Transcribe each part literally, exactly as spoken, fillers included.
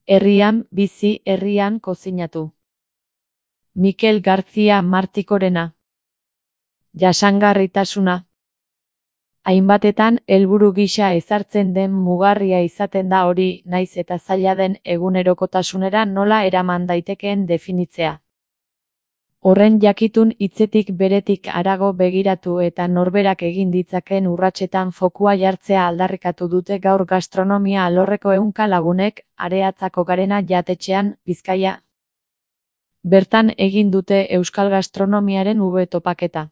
Herrian bizi, herrian kozinatu. Mikel García Martikorena. Jasangarritasuna. Hainbatetan helburu gisa ezartzen den mugarria izaten da hori, naiz eta zaila den egunerokotasunera nola eraman daitekeen definitzea. Horren jakitun hitzetik beretik harago begiratu eta norberak egin ditzakeen urratsetan fokua jartzea aldarrikatu dute gaur gastronomia alorreko ehunka lagunek Areatzako Garena jatetxean, Bizkaia. Bertan egin dute euskal gastronomiaren ube topaketa.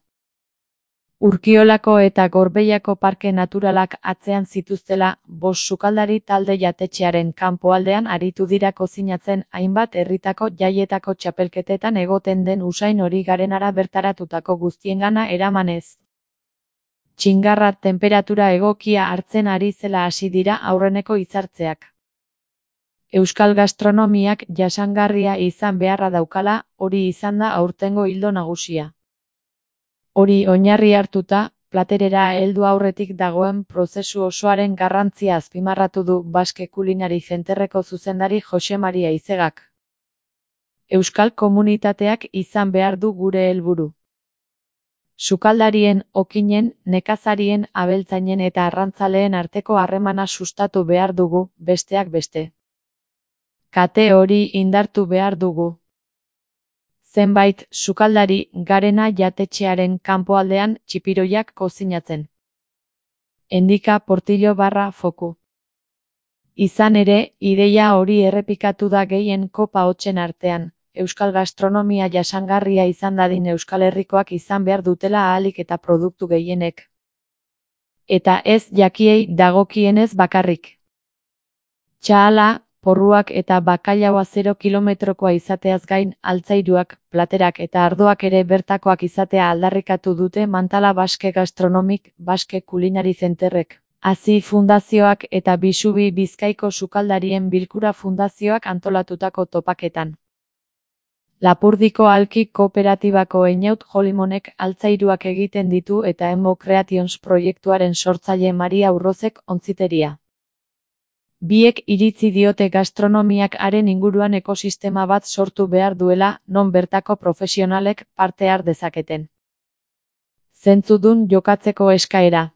Urkiolako eta Gorbeiako parke naturalak atzean zituztela, bost sukaldari talde jatetxearen kanpoaldean aritu dira kozinatzen hainbat herritako jaietako txapelketetan egoten den usain hori Garenara bertaratutako guztiengana eramanez. Txingarra tenperatura egokia hartzen ari zela hasi dira aurreneko hitzartzeak. Euskal gastronomiak jasangarria izan beharra daukala, hori izan da aurtengo ildo nagusia. Hori oinarri hartuta, platerera heldu aurretik dagoen prozesu osoaren garrantzia azpimarratu du Baske Kulinari Zenterreko zuzendari Jose Maria Izegak. Euskal komunitateak izan behar du gure helburu. Sukaldarien, okinen, nekazarien, abeltzainen eta arrantzaleen arteko harremana sustatu behar dugu, besteak beste. Kate hori indartu behar dugu. Zenbait sukaldari Garena jatetxearen kanpoaldean txipiroiak kozinatzen. Endika Portillo barra foku. Izan ere, ideia hori errepikatu da gehien kopa hotsen artean, euskal gastronomia jasangarria izan dadin Euskal Herrikoak izan behar dutela ahalik eta produktu gehienek. Eta ez jakiei dagokienez bakarrik. Txahala, porruak eta bakailaoa zero kilometrokoa izateaz gain, altzairuak, platerak eta ardoak ere bertakoak izatea aldarrikatu dute Mantala Baske Gastronomik, Baske Kulinari Zenterrek, Hazi Fundazioak eta Bisubi Bizkaiko Sukaldarien Bilkura Fundazioak antolatutako topaketan. Lapurdiko Alki Kooperatibako Einaut Jolimonek altzairuak egiten ditu eta Emo Creations proiektuaren sortzaile Maria Urrozek ontziteria. Biek iritzi diote gastronomiak haren inguruan ekosistema bat sortu behar duela, non bertako profesionalek parte har dezaketen. Zentzudun jokatzeko eskaera.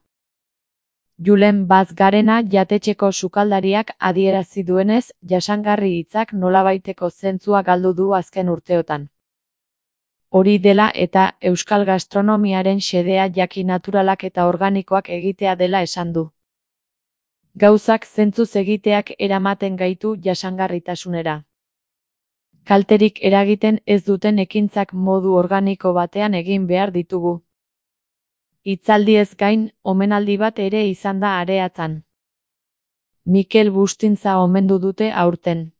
Julen Baz Garena jatetxeko sukaldariak adierazi duenez, jasangarri hitzak nolabaiteko zentzua galdu du azken urteotan. Hori dela eta euskal gastronomiaren xedea jaki naturalak eta organikoak egitea dela esan du. Gauzak zentzuz egiteak eramaten gaitu jasangarritasunera. Kalterik eragiten ez duten ekintzak modu organiko batean egin behar ditugu. Hitzaldiez gain, omenaldi bat ere izan da Areatzan. Mikel Bustintza omendu dute aurten.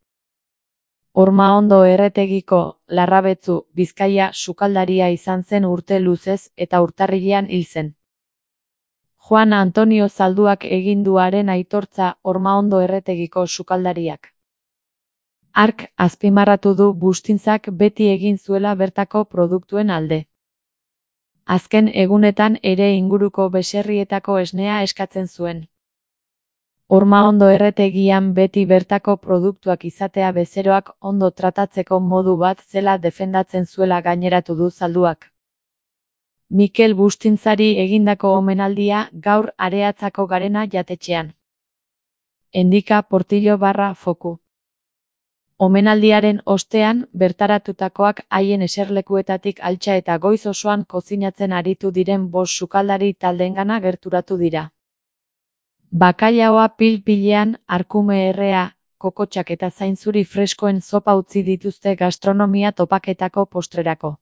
Ormaondo Erretegiko, Larrabetzu, Bizkaia sukaldaria izan zen urte luzez eta urtarrilean hil zen. Juan Antonio Zalduak egin duaren aitortza Ormaondo Erretegiko sukaldariak. Hark azpimarratu du Bustintzak beti egin zuela bertako produktuen alde. Azken egunetan ere inguruko beserrietako esnea eskatzen zuen. Ormaondo Erretegian beti bertako produktuak izatea bezeroak ondo tratatzeko modu bat zela defendatzen zuela gaineratu du Zalduak. Mikel Bustintzari egindako omenaldia gaur Areatzako Garena jatetxean. Endika Portillo barra foku. Omenaldiaren ostean, bertaratutakoak haien eserlekuetatik altxa eta goiz osoan kozinatzen aritu diren bost sukaldari taldeengana gerturatu dira. Bakailaoa pil-pilean, arkume errea, kokotxak eta zainzuri freskoen zopa utzi dituzte gastronomia topaketako postrerako.